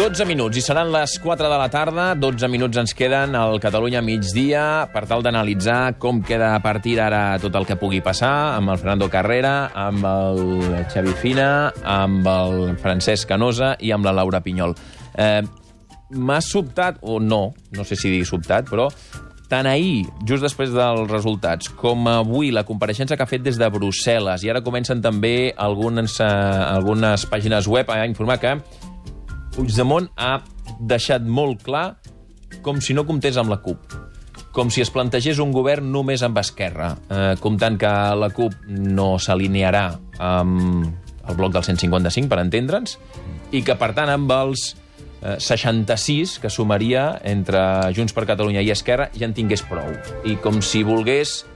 12 minuts, i seran les 4 de la tarda. 12 minuts ens queden al Catalunya migdia per tal d'analitzar com queda a partir d'ara tot el que pugui passar amb el Fernando Carrera, amb el Xavi Fina, amb el Francesc Canosa i amb la Laura Pinyol. M'ha sobtat, o no sé si dir sobtat, però tant ahir, just després dels resultats, com avui la compareixença que ha fet des de Brussel·les, i ara comencen també algunes pàgines web a informar que Puigdemont ha deixat molt clar com si no comptés amb la CUP, com si es plantegés un govern només amb Esquerra, comptant que la CUP no s'alinearà amb el bloc del 155, per entendre'ns, i que, per tant, amb els 66 que sumaria entre Junts per Catalunya i Esquerra ja en tingués prou. I com si volgués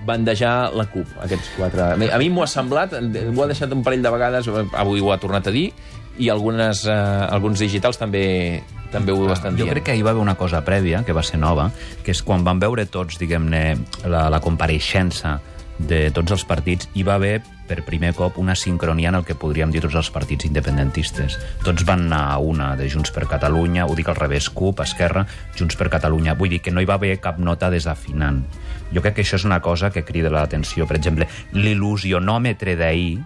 bandejar la CUP, aquests quatre. A mi m'ho ha semblat, m'ho ha deixat un parell de vegades, avui ho ha tornat a dir, i alguns digitals també ho estan dient. Jo crec que hi va haver una cosa prèvia, que va ser nova, que és quan van veure tots, diguem-ne, la compareixença de tots els partits, hi va haver per primer cop una sincronia en el que podríem dir tots els partits independentistes. Tots van anar a una de Junts per Catalunya, ho dic al revés, CUP, Esquerra, Junts per Catalunya. Vull dir que no hi va haver cap nota desafinant. Jo crec que això és una cosa que crida l'atenció. Per exemple, l'il·lusionòmetre d'ahir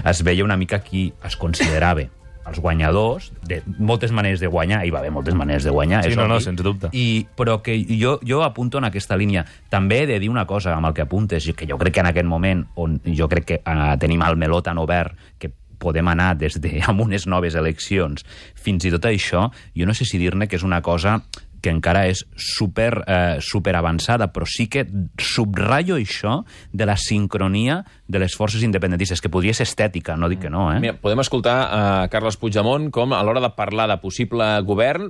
es veia una mica qui es considerava els guanyadors, de moltes maneres de guanyar, hi va haver moltes maneres de guanyar, sí, és no, obvi, sense dubte. Però que jo apunto en aquesta línia. També he de dir una cosa amb el que apuntes, que jo crec que en aquest moment, on jo crec que tenim el meló tan obert, que podem anar des de amb unes noves eleccions fins i tot això, jo no sé si dir-ne que és una cosa que encara és super avançada, però sí que subratllo això de la sincronia de les forces independentistes, que podria ser estètica, no dic que no, eh? Mira, podem escoltar a Carles Puigdemont com a l'hora de parlar de possible govern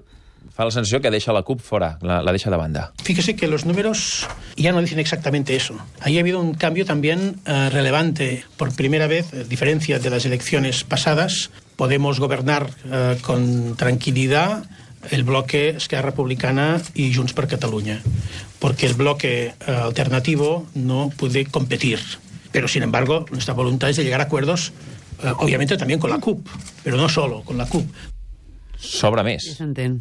fa la sensació que deja la CUP fora, la deja de banda. Fíjese que los números ya no dicen exactamente eso. Ahí ha habido un cambio también relevante. Por primera vez, a diferencia de las elecciones pasadas, podemos gobernar con tranquilidad el bloque Esquerra Republicana y Junts per Catalunya, porque el bloque alternativo no puede competir. Pero, sin embargo, nuestra voluntad es de llegar a acuerdos, obviamente también con la CUP, pero no solo con la CUP. Sobra més.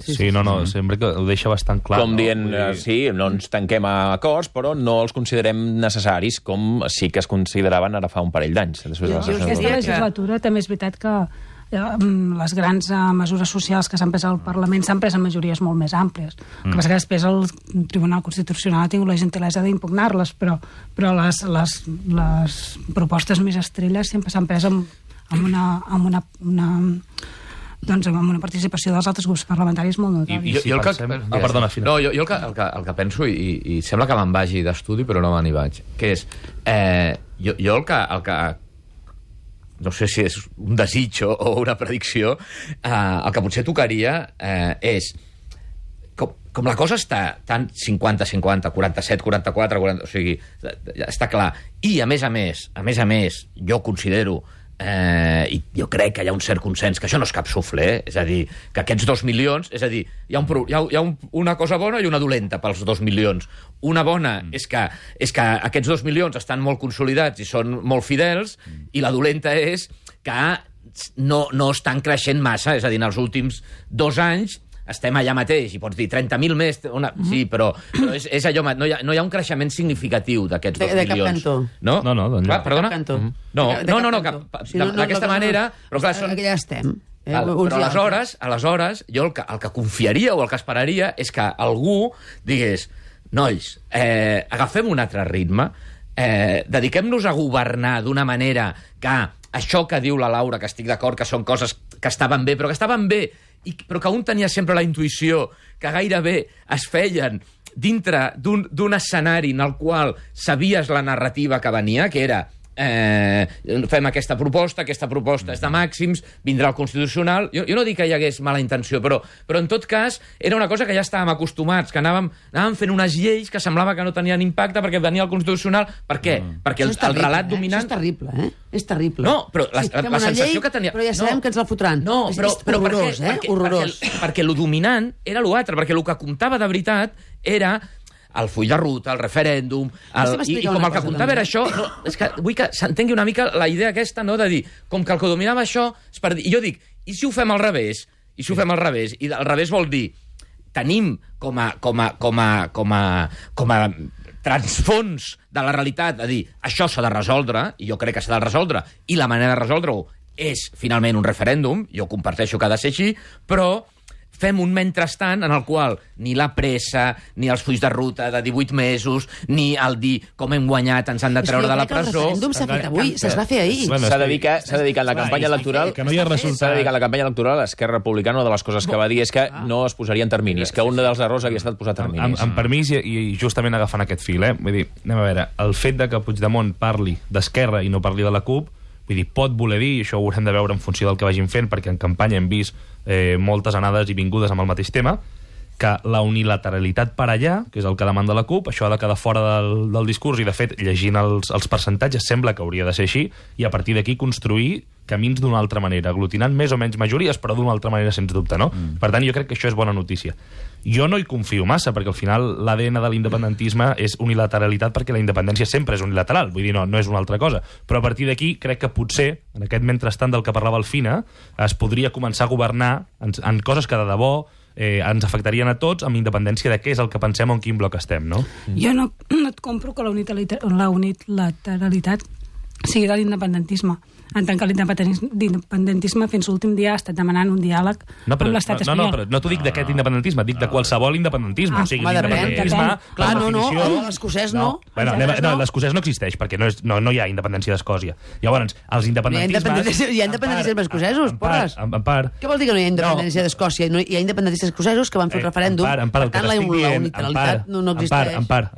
Sí, no, sempre que ho deixa bastant clar. Com dient, sí, no ens tanquem a acords, però no els considerem necessaris, com sí que es consideraven ara fa un parell d'anys. Aquesta legislatura també és veritat que les grans mesures socials que s'han pres al Parlament s'han pres en majories molt més àmplies. El que passa que després el Tribunal Constitucional ha tingut la gentilesa d'impugnar-les, però les propostes més estrelles sempre s'han pres amb una participació dels altres grups parlamentaris molt notable. Perdona, Fina. No, jo el que penso, i sembla que me'n vagi d'estudi, però no me n'hi vaig, que és, jo el que no sé si és un desig o una predicció, el que potser tocaria és, com la cosa està tan 50-50, 47-44, o sigui, està clar, i a més a més, jo considero, i jo crec que hi ha un cert consens, que això no és cap suflé, és a dir, que aquests 2 milions, és a dir, hi ha una cosa bona i una dolenta pels 2 milions. Una bona és que aquests 2 milions estan molt consolidats i són molt fidels, i la dolenta és que no estan creixent massa, és a dir, en els últims 2 anys estem allà mateix, i pots dir 30.000 més, sí, però és allò, no hi ha un creixement significatiu d'aquests 2 milions. De cap cantó. No? No, perdona? D'aquesta manera... Però clar, aquí ja estem. Però aleshores, jo el que confiaria o el que esperaria és que algú digués, nois, agafem un altre ritme, dediquem-nos a governar d'una manera que això que diu la Laura, que estic d'acord, que són coses que estaven bé, però que un tenia sempre la intuïció que gairebé es feien dintre d'un escenari en el qual sabies la narrativa que venia, que era fem aquesta proposta és de màxims, vindrà el Constitucional. Jo no dic que hi hagués mala intenció, però en tot cas era una cosa que ja estàvem acostumats, que anàvem fent unes lleis que semblava que no tenien impacte perquè venia el Constitucional. Per què? Perquè el relat dominant... Això és terrible, eh? És terrible. No, però la sensació que tenia... Però ja sabem que ens la fotran. No, però horrorós, horrorós. Perquè lo dominant era l'altre, perquè el que comptava de veritat era el full de ruta, el referèndum, i com el que comptava era això, és que vull que s'entengui una mica la idea aquesta, no, de dir, com que el que dominava això, i jo dic, i si ho fem al revés? I si ho fem al revés? I al revés vol dir tenim com a transfons de la realitat a dir això s'ha de resoldre, i jo crec que s'ha de resoldre, i la manera de resoldre-ho és finalment un referèndum, jo comparteixo que ha de ser així, però fem un mentrestant en el qual ni la pressa, ni els fulls de ruta de 18 mesos, ni el dir com hem guanyat, ens han de treure de la presó... El referèndum s'ha fet avui, es va fer ahir. S'ha dedicat la campanya electoral... Que no hi ha resultat. S'ha dedicat la campanya electoral a Esquerra Republicana. Una de les coses que va dir és que no es posarien terminis, que un dels errors havia estat posar terminis. Amb permís, i justament agafant aquest fil, vull dir, anem a veure, el fet de que Puigdemont parli d'Esquerra i no parli de la CUP, vull dir, pot voler dir, i això ho haurem de veure en funció del que vagin fent, perquè en campanya hem vist moltes anades i vingudes amb el mateix tema, que la unilateralitat per allà, que és el que demanda la CUP, això ha de quedar fora del discurs, i de fet, llegint els percentatges, sembla que hauria de ser així, i a partir d'aquí construir camins d'una altra manera, aglutinant més o menys majories, però d'una altra manera, sens dubte, no? Per tant, jo crec que això és bona notícia. Jo no hi confio massa, perquè al final l'ADN de l'independentisme és unilateralitat, perquè la independència sempre és unilateral, vull dir, no és una altra cosa. Però a partir d'aquí crec que potser, en aquest mentrestant del que parlava el Fina, es podria començar a governar en coses que de debò ens afectarien a tots, amb independència de què és el que pensem o en quin bloc estem, no? Jo no et compro que la unilateralitat sigui de l'independentisme. En tant que l'independentisme fins l'últim dia ha estat demanant un diàleg amb l'estat espanyol. No t'ho dic d'aquest independentisme, dic de qualsevol independentisme. O sigui, l'independentisme... Clar, no, l'escocès no. L'escocès no existeix, perquè no hi ha independència d'Escòcia. Llavors, els independentismes... Hi ha independentistes escocesos, porres. En part. Què vol dir que no hi ha independència d'Escòcia? Hi ha independentistes escocesos que van fer un referèndum, per tant la unilateralitat no existeix. En part.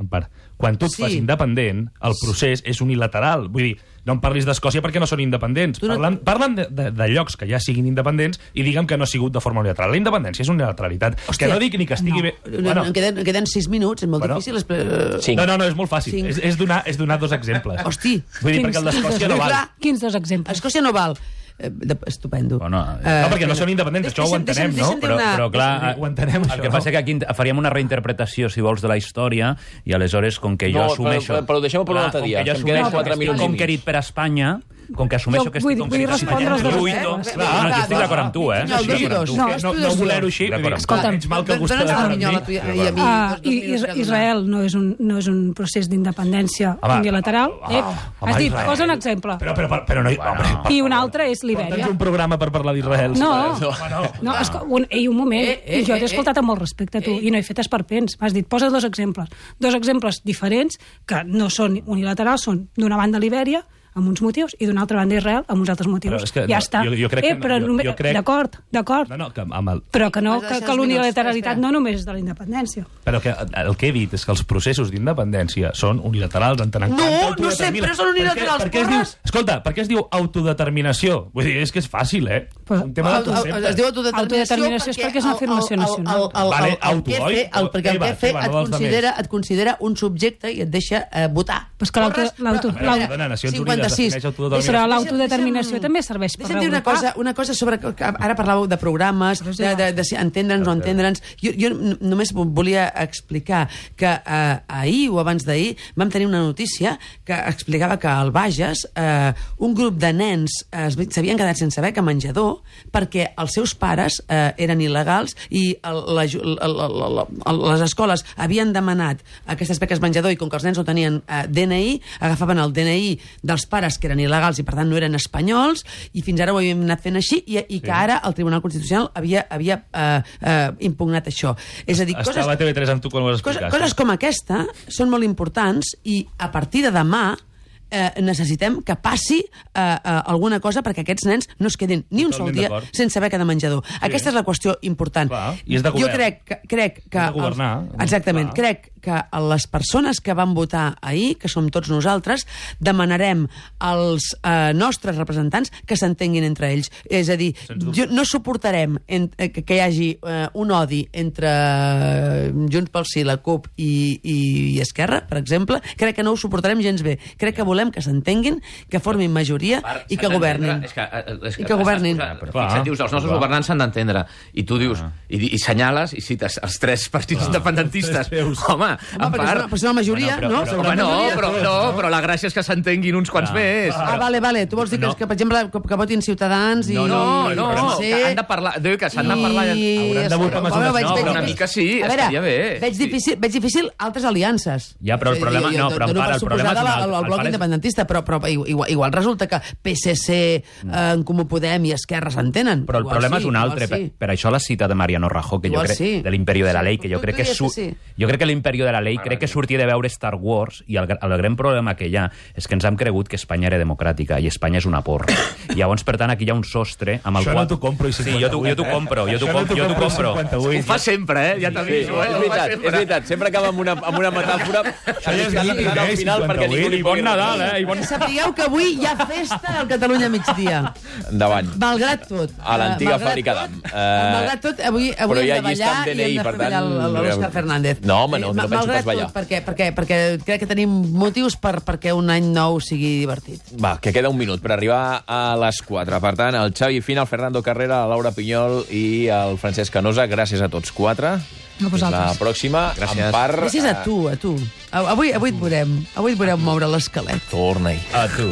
Quan tu et fas independent, el procés és unilateral. Vull dir, no em parlis d'Escòcia perquè no són independents. Parlen de llocs que ja siguin independents i diguem que no ha sigut de forma unilateral. La independència és unilateralitat. Que no dic ni que estigui bé... Em queden 6 minuts, és molt difícil... No, és molt fàcil. És donar 2 exemples. Hosti! Vull dir, perquè el d'Escòcia no val. Quins 2 exemples? Escòcia no val. Estupendo. Bueno, no, perquè no són independents, això ho entenem, no? Però clar, ho entenem, el que passa que aquí faríem una reinterpretació, si vols, de la història, i aleshores, com que jo assumeixo... Però deixem-ho per un altre dia, que em queden 4 minuts i mig. Conquerit per Espanya, com que assumeixo que estic vull respondre als 2 exemples. No, estic d'acord amb tu, No voler-ho així. Escolta'm, Israel no és un procés d'independència unilateral. Has dit, posa un exemple. Però no... I un altre és Libèria. Tens un programa per parlar d'Israel. Un moment, jo t'he escoltat amb molt respecte a tu, i no he fet esperpents. M'has dit, posa 2 exemples. 2 exemples diferents, que no són unilaterals, són d'una banda Libèria, amb uns motius, i d'una altra banda Israel amb uns altres motius. Ja està. D'acord. Però que l'unilateralitat no només és de la independència. Però que el que he dit és que els processos d'independència són unilaterals, entenent no sempre són unilaterals, porres! Escolta, per què es diu autodeterminació? Vull dir, és que és fàcil, un tema de concepte. Es diu autodeterminació perquè és una afirmació nacional. Perquè el PF et considera un subjecte i et deixa votar. Però l'autodeterminació també serveix per revocar. Una cosa sobre... Ara parlàveu de programes, d'entendre'ns o entendre'ns. Jo només volia explicar que ahir o abans d'ahir vam tenir una notícia que explicava que al Bages un grup de nens s'havien quedat sense beca menjador perquè els seus pares eren il·legals i les escoles havien demanat aquestes beques menjador i com que els nens no tenien DNI, agafaven el DNI dels pares que eren il·legals i per tant no eren espanyols, i fins ara ho havíem anat fent així, i que ara el Tribunal Constitucional havia impugnat això. És a dir, estava a TV3 amb tu quan ho has explicat. Coses com aquesta són molt importants i a partir de demà necessitem que passi alguna cosa perquè aquests nens no es quedin ni un sol dia sense beca de menjador. Aquesta és la qüestió important. I és de govern. Jo crec que... Exactament. Crec que les persones que van votar ahir, que som tots nosaltres, demanarem als nostres representants que s'entenguin entre ells. És a dir, no suportarem que hi hagi un odi entre Junts pel Sí, la CUP i Esquerra, per exemple. Crec que no ho suportarem gens bé. Crec que volem que s'entenguin, que formin majoria i que governin. I que governin. Fixa't, dius, els nostres governants s'han d'entendre. I tu dius, i senyales, i cites els 3 partits independentistes. Home, Home, perquè és una majoria, no? Però la gràcia és que s'entenguin uns quants més. Vale. Tu vols dir que, per exemple, que votin Ciutadans i... No, que han de parlar... que s'han de parlar... Hauran de votar mesures. No, però una mica sí, estaria bé. Veig difícil altres aliances. Ja, però el problema... No, però el problema és un altre. El bloc independentista, però igual resulta que PSC, en Comú Podem i Esquerra s'entenen. Però el problema és un altre. Per això la cita de Mariano Rajoy, que jo crec, de l'Imperio de la Ley, que jo crec que jo crec que l'Imperio de la Ley crec que sortia de veure Star Wars i el gran problema que hi ha és que ens hem cregut que Espanya era democràtica i Espanya és una porra. I llavors, per tant, aquí hi ha un sostre amb el qual... Això no t'ho compro. Sí, jo t'ho compro. Ho fa sempre, ja t'aviso. És veritat, sempre acaba amb una metàfora al final perquè ningú li bon Nadal, Sapigueu que avui hi ha festa al Catalunya migdia. Endavant. Malgrat tot. A l'antiga fàbrica d'Am. Malgrat tot, avui hem de ballar i hem de fer ballar l'Òscar Fernández. No, home, no penso pas ballar. Perquè crec que tenim motius perquè un any nou sigui divertit. Va, que queda un minut per arribar a les 4. Per tant, el Xavi Fina, el Fernando Carrera, la Laura Pinyol i el Francesc Canosa, gràcies a tots 4. A vosaltres. La pròxima, gràcies. Gràcies a tu. Avui et veurem moure l'esquelet. Torna-hi. A tu.